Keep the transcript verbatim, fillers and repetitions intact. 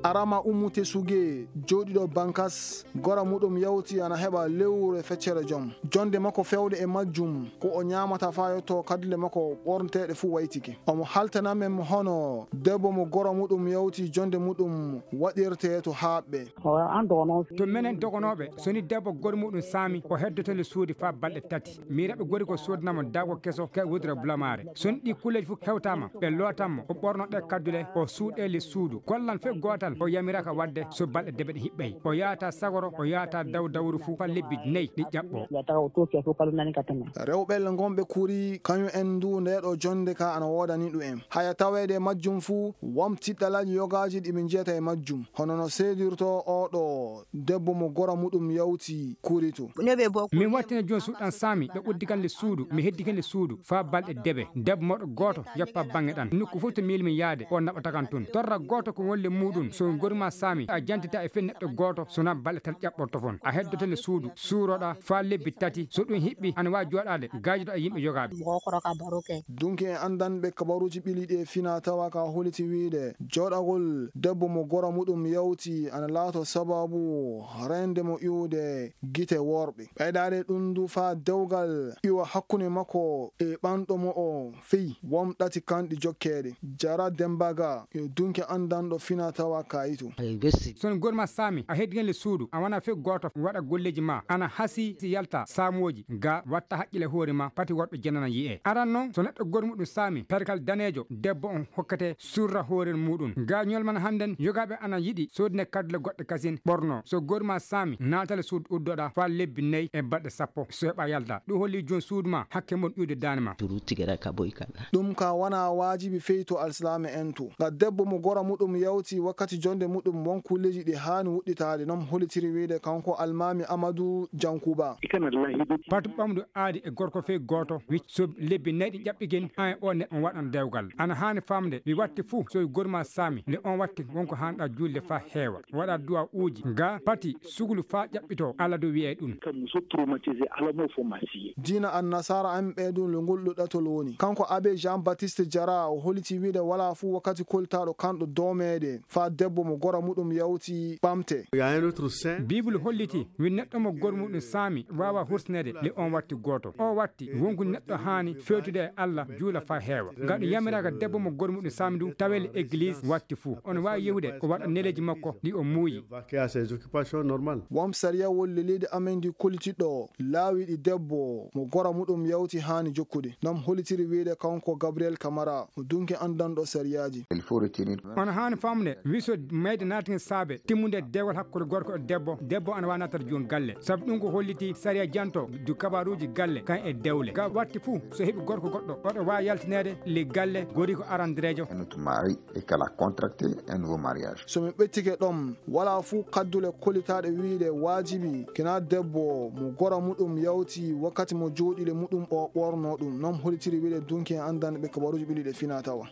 Arama Ummu Tesuge, jooɗiiɗo Bankas, gora muɗum yawti ana heɓa lewru e feccere jom. Jonde makko fewde e majjum, ko o ñaamata faa yotto kaddule makko ɓornteeɗe fuu waytike. Omo haltana men hono debbo mo gora muɗum yawti jonde muɗum waɗirtee to haaɓɓe. To menen dogonooɓe, so ni debbo gora muɗum saami, o heddoto le suudi faa balɗe tati. Miiraɓe gori ko soodanamo daago keso ka wudere bulamaare. So ni ɗi kulleeji fof hewtaama, ɓe lootan mo, o ɓorno ɗe kaddule, o suuɗe le suudu. Gollan fof gootal, o yamiraaka waɗde so balɗe deɓe ɗe hiɓɓay. O yaata sagoro, o yaata daw dawru fof faa lebbi nayi ɗi ƴaɓɓo. Rewɓe le ngonɓe kuri, kañum en ndu ndeeɗo jonde ka ana woodani ɗum en. Haya taweede e majjum fof, won tiɗɗalaaji yogaaji ɗi ɓe njiyata e majjum. Hono no seedirto oo ɗo debbo mo gora muɗum yawti kuri to. Min wattina jooni suuɗan saami, ɓe uddi kan le suudu, mi heddi kan le suudu, faa balɗe deɓe. Debbo moɗo gooto, yappa baŋŋe ɗan. Nokku fof to miilmi yaade, o naɓata kan tun. Torra gooto ko won le muuɗum, so gorma saami, a jantita e fen neɗɗo gooto, so na balɗe tan ƴaɓɓorto fon. A heddoto le suudu, suuroɗa, faa lebbi tati, so ɗum hiɓɓi, ana waawi jooɗaade, gaajoɗa e yimɓe yogaaɓe. Dunki en anndanɓe kabaruuji ɓiliiɗi e fina tawa ka holiti wiide, jooɗagol debbo mo gora muɗum yawti ana laato sababu reende mo iwde gite worɓe. Ɓeydaade ɗum ndu faa dewgal iwa hakkunde makko e ɓanɗo mo o fey won ɗati kanɗi jokkeede. Jara Dembaga yo dunki anndanɗo fina tawa kayito. Son gorma saami, a heddi le suudu, a wona fe gooto waɗa golleeji ma, ana hasi si yalta saamooji, ga watta haqqile hoore ma, pati worɓe jenana yi'e. Aran non, so neɗɗo gormuɗum saami, perkal daneejo, debbo on hokkete surra hoore muɗum. Ga ñolman hannden, yogaaɓe ana yiɗi soodine kaddule goɗɗe kasin ɓorno. So gorma saami, naatale suudu uddoɗa faa lebbi nayi e balɗe sappo. So heɓa yalta, ɗum holli joon suudu ma, hakke mon iwde daane ma. Turu tigera ka boy kana. Ɗum ka wona waajibi fey to alsilaame en to. Nga debbo mo gora muɗum yawti wakkati jonde muɗum, won kulleeji ɗi haani wuɗɗitaade, non holitiri wiide kanko Almaami Amadu Jankuba. Patu ɓamdu aadi e gorko fey gooto, wicc so lebbi nayi ɗi ƴaɓɓigen, an e o neɗɗo on waɗan dewgal. Ana haani famde, wi watti fuu, so wi gorma saami, nde on watti wonko haanɗa juulde faa heewa. Waɗa du'a uuji, ga pati sugulu faa ƴaɓɓito, Alla du wi'ay ɗum. Diina Annasaara en ɓe du, ngol ɗo ɗatol woni. Kanko Abbé Jean-Baptiste Jara, o holiti wiide walaa fuu wakkati koltaaɗo kanɗo doomeede faa debbo mo gora muɗum yawti ɓamte. Biibul holliti, wi neɗɗo mo gor muɗum saami waawa hursineede le on watti gooto. O watti, wonku neɗɗo haani feewtude e Alla, juula faa heewa. Nga ɗum yamiraaka debbo mo gor muɗum saami du, tawee le egliis watti fuu. On waawi yehude, o waɗa neleeji makko ɗi o muuyi. Won sariya won leydi amen ndi kolitiɗo laawi ɗi debbo mo gora muɗum yawti haani jokkude. Nam holitiri wiide kanko Gabriel Kamara, mo dunki anndanɗo sariyaaji. On haani famde, wi so mayde naatigi saabe timmunde dewgal hakkunde gorko e debbo, debbo ana waawi naatata jooni galle. Sabu ɗum ko holliti sariya janto du kabaruuji galle kan e dewle. Ga watti fuu, so heɓi gorko goɗɗo, oɗo waawi yaltineede le galle, gori ko arandireejo. Et qu'elle a contracté un nouveau mariage. So mi ɓettike ɗon, walaa fuu kaddule kolitaaɗe wiide waajibi kina debbo mo gora muɗum yawti wakkati mo jooɗiile muɗum o ɓorno ɗum. Non holitiri wiide dunki en anndanɓe kabaruuji ɓiliiɗe fina tawa.